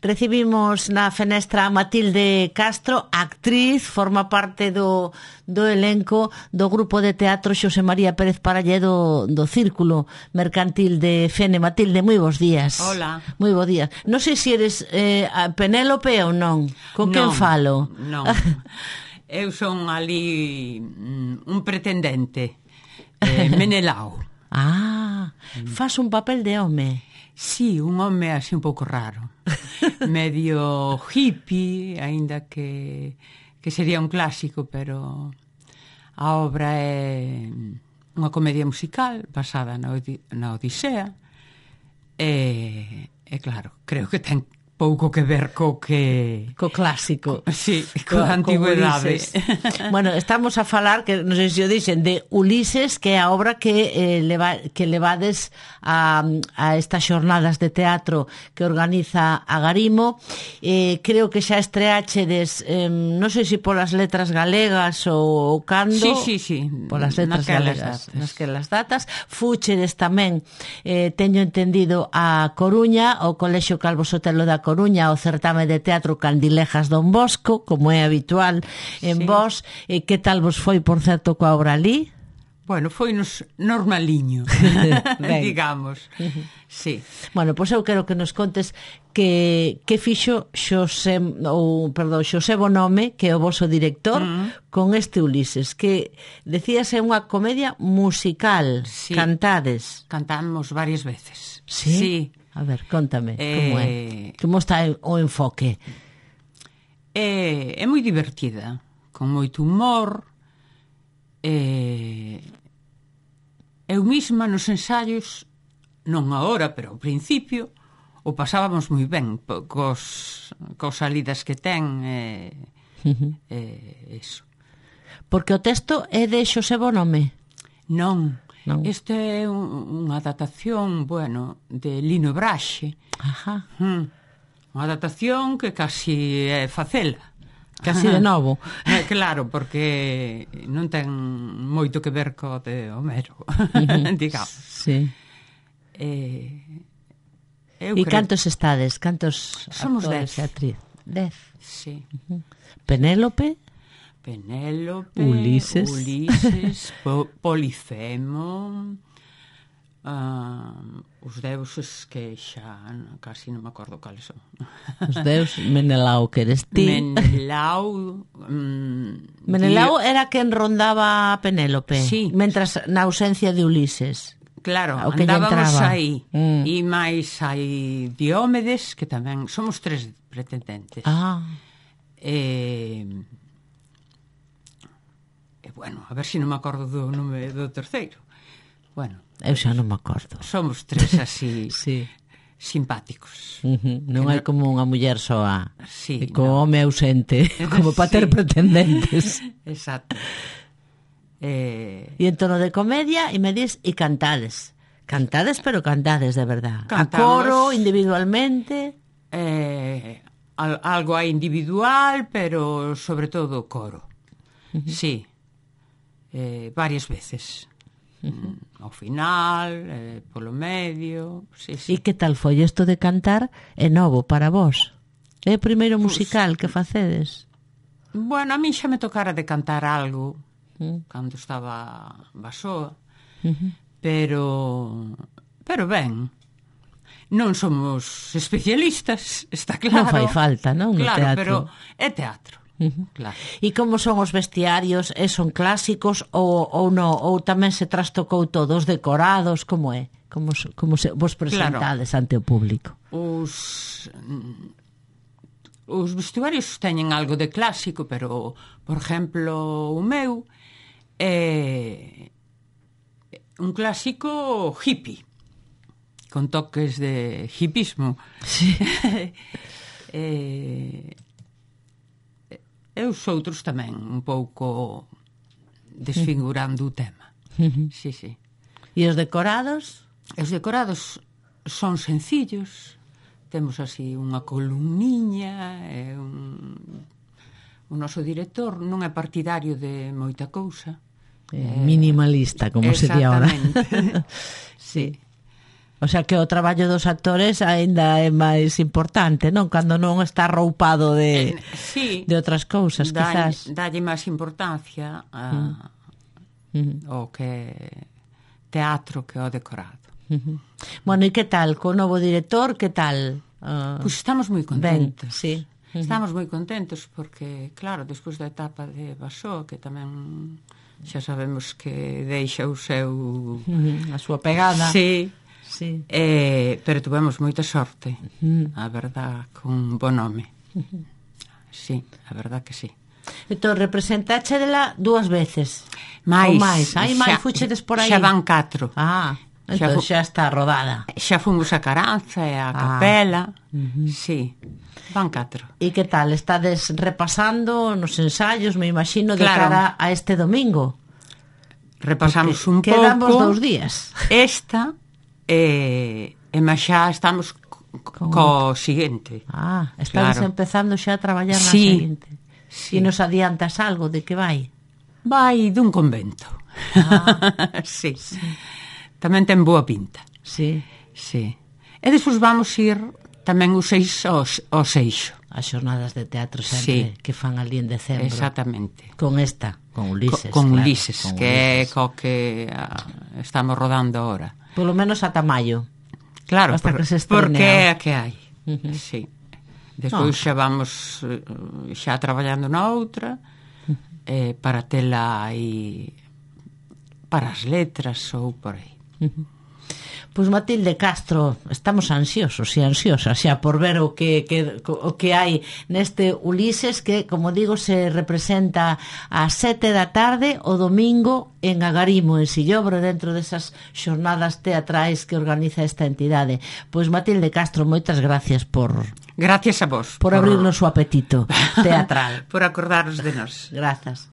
Recibimos na fenestra a Matilde Castro, actriz, forma parte do elenco do grupo de teatro Xosé María Pérez Paralledo do Círculo Mercantil de Fene. Matilde, moi bons días. Hola. Moi bons días. Non sei se eres Penélope ou non. Con quen falo? Non. Eu son ali un pretendente. Menelao. Fas un papel de home. Sí, un home así un pouco raro. Medio hippie, aínda que sería un clásico, pero a obra é unha comedia musical basada na Odisea e claro, creo que ten pouco que ver co clásico. Sí, coa antigüedade. Bueno, estamos a falar, que non sei se o dixen, de Ulises, que é a obra que levades a estas xornadas de teatro que organiza Agarimo. Creo que xa estreáchedes, non sei se polas letras galegas ou cando. Sí. Polas letras galegas, nasquelas datas. Fúchedes tamén, teño entendido, a Coruña, o Colexio Calvo Sotelo da Coruña, o certame de teatro Candilejas Don Bosco, como é habitual en vos. Que tal vos foi, por certo, coa obra ali? Bueno, foi nos normaliño, digamos. Sí. Bueno, pois eu quero que nos contes que fixo Xosé Bonhome, que é o voso director, con este Ulises, que decías é unha comedia musical. Sí. Cantades. Cantamos varias veces. Sí? A ver, contame, como é? Como está o enfoque? É moi divertida, con moito humor. Eu mesma nos ensaios, non agora, pero ao principio, o pasábamos moi ben cos salidas que ten. Eso. Porque o texto é de Xosé Bonhome? Non. Este é unha adaptación, de Lino Braxe. Unha adaptación que casi é facela. Casi de novo. Claro, porque non ten moito que ver co de Homero, digamos. Sí. E cantos estades? Cantos somos actores e actriz? 10. Sí. Penélope, Ulises, Polifemo, os deuses que xa casi non me acordo cales son. Os deuses, Menelao, que eres ti. Menelao era quen rondaba a Penélope, sí. Mentras na ausencia de Ulises. Claro, andábamos aí. E máis hai Diómedes, que tamén somos 3 pretendentes. Bueno, a ver se non me acordo do nome do terceiro. Bueno, eu xa non me acordo. Somos 3 así sí. Simpáticos. Non hai como unha muller soa, sí, co home ausente, como para ter pretendentes. Exacto. E en tono de comedia, e me dis, e cantades. Cantades, pero cantades de verdad. Cantamos, a coro, individualmente. Algo aí individual, pero sobre todo coro. Sí. Varias veces. Ao final, polo medio. Sí. E que tal foi isto de cantar? É novo para vos? É o primeiro musical que facedes? Bueno, a mí xa me tocara de cantar algo cando estaba basoa, pero ben, non somos especialistas, está claro. Non fai falta, non? Claro, pero é teatro. Claro. E como son os vestiarios? Son clásicos ou non? Ou tamén se trastocou todos decorados? Como é? Como se vos presentades ante o público? Os vestuarios teñen algo de clásico, pero, por exemplo, o meu é un clásico hippie, con toques de hippismo. Sí. E os outros tamén un pouco desfigurando o tema. Sí. E os decorados? Os decorados son sencillos. Temos así unha columniña e o noso director non é partidario de moita cousa. Minimalista, como se di ahora. Sí. O sea que o traballo dos actores aínda é máis importante, non? Cando non está roupado de outras cousas, quizás. Dalle máis importancia ao que teatro que ao decorado. Bueno, e que tal? Co novo director, que tal? Pois estamos moi contentos. Ben, sí. Estamos moi contentos porque, claro, despois da etapa de Basó, que tamén xa sabemos que deixa o seu... a súa pegada. Sí. Sí. Pero tuvemos moita sorte, a verdad, con bo nome. Sí, a verdad que sí. Entón, representáchela 2 veces. Mais. Hai máis, fuchedes por aí. Xa van 4. Entón xa está rodada. Xa fomos a Caranza e a Capela. Sí, van 4. E que tal? Estades repasando nos ensaios, me imagino, de cara a este domingo? Repasamos un pouco. Quedamos 2 días. Esta... e máis xa estamos co seguinte. Estamos empezando xa a traballar na seguinte. E nos adiantas algo de que vai? Vai dun convento. Sí. Tamén ten boa pinta. Sí. E despois vamos ir tamén os 6 ao Seixo. As xornadas de teatro sempre que fan ali en decembro. Exactamente. Con Ulises. Con Ulises, que é co que estamos rodando ahora. Polo menos ata maio. Claro, porque é a que hai. Sí. Despois xa vamos xa traballando na outra para tela aí para as letras ou por aí. Pois Matilde Castro, estamos ansiosos e ansiosas xa por ver o que hai neste Ulises, que, como digo, se representa ás 7 da tarde o domingo en Agarimo, en Sillobro, dentro desas xornadas teatrais que organiza esta entidade. Pois Matilde Castro, moitas gracias por... Gracias a vos. Por abrirnos o apetito teatral. Por acordaros de nós. Grazas.